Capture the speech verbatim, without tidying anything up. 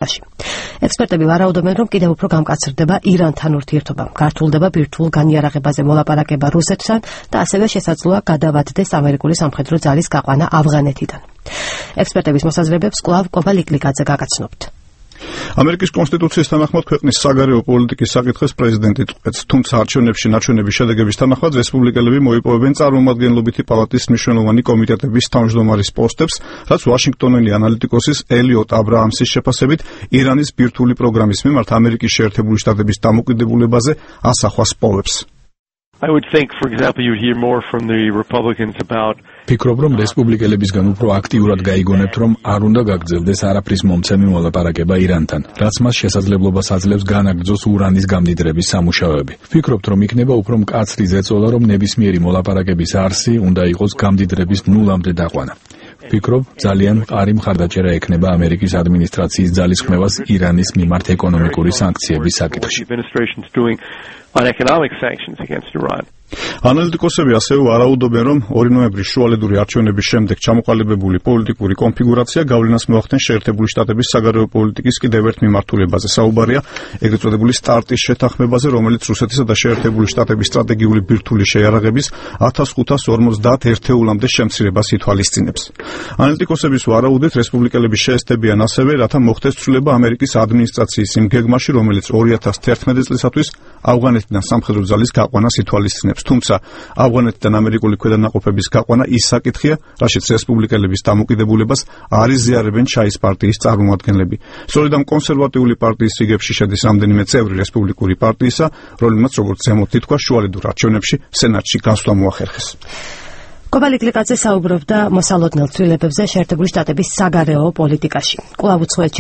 ექსპერტები ვარაუდობენ, რომ კიდევ უფრო გამკაცრდება ირანთან ურთიერთობა, გართულდება ბირთვულ განიარაღებაზე მოლაპარაკება რუსეთთან და ასევე შესაძლოა გადავადდეს ამერიკული სამხედრო ძალის გაყვანა ავღანეთიდან. ექსპერტების მოსაზრებებს კვლავ კობა ლიკლიკაძე გაგაცნობთ. ამერიკის კონსტიტუციის თანახმად ქვეყნის საგარეო პოლიტიკის საკითხებს პრეზიდენტი წყვეტს, თუმცა არჩევნებში ნაჩვენების შედეგების თანახმად რესპუბლიკელები მოიპოვებენ წარმომადგენლობითი პალატის მნიშვნელოვანი კომიტეტების თავმჯდომარის პოსტებს, რაც ვაშინგტონელი ანალიტიკოსის ელიოტ აბრაამსის შეფასებით ირანის ბირთვული პროგრამის მიმართ ამერიკის შეერთებული შტატების დამოკიდებულებაზე ასახვას პოვებს. I would think, for example, you hear more from the Republicans about ფიქრობ, რომ რესპუბლიკელებისგან უფრო აქტიურად გაიგონებთ, რომ არ უნდა გაგრძელდეს არაფრის მომცემი მოლაპარაკება ირანთან, რაც მას შესაძლებლობას აძლევს განაგრძოს ურანის გამდიდრების სამუშაოები. Ფიქრობთ, რომ იქნება უფრო მკაცრი ზეწოლა, რომ ნებისმიერი მოლაპარაკების არსი უნდა იყოს გამდიდრების ნულამდე დაყვანა. ფიქრობ, ძალიან მყარი მხარდაჭერა ექნება ამერიკის ადმინისტრაციის ძალისხმევას ირანის მიმართ ეკონომიკური სანქციების საკითხში. on economic sanctions against Iran. ანალიტიკოსები ასევე ვარაუდობენ, რომ ორი ნოემბრის შუალედური არჩევნების შემდეგ ჩამოყალიბებული პოლიტიკური კონფიგურაცია გავლენას მოახდენს შეერთებული შტატების საგარეო პოლიტიკის კიდევ ერთ მიმართულებაზე. საუბარია ეგრეთ წოდებული სტარტის შეთანხმებაზე, რომელიც რუსეთისა და შეერთებული შტატების სტრატეგიული ბირთვული შეიარაღების ათას ხუთას ორმოცდაათ ერთეულამდე შემცირებას ითვალისწინებს. ანალიტიკოსების ვარაუდით, რესპუბლიკელები შეესწებიან ასევე, რათა მოხდეს ცვლილება ამერიკის ადმინისტრაციის იმ გეგმაში, რომელიც ორი ათას თერთმეტი წლისათვის ავღანეთიდან სამხედრო ძალის გაყვანას ითვალისწინებს. თუმცა ავღანეთიდან ამერიკული ქვედანაყოფების გაყვანა ის საკითხია, რაშიც რესპუბლიკელების დამოკიდებულებას არ იზიარებენ ჩაის პარტიის წარმომადგენლები. სწორედ ამ კონსერვატიული პარტიის რიგებში შედის რამდენიმე წევრი რესპუბლიკური პარტიისა, რომელმაც როგორც ზემოთ ითქვა, შუალედურ არჩევნებში სენატში გასვლა მოახერხეს. კობა ლიკლიკაძე საუბრობდა მოსალოდნელ ცვლილებებზე შეერთებული შტატების საგარეო პოლიტიკაში. კვლავ უცხოეთში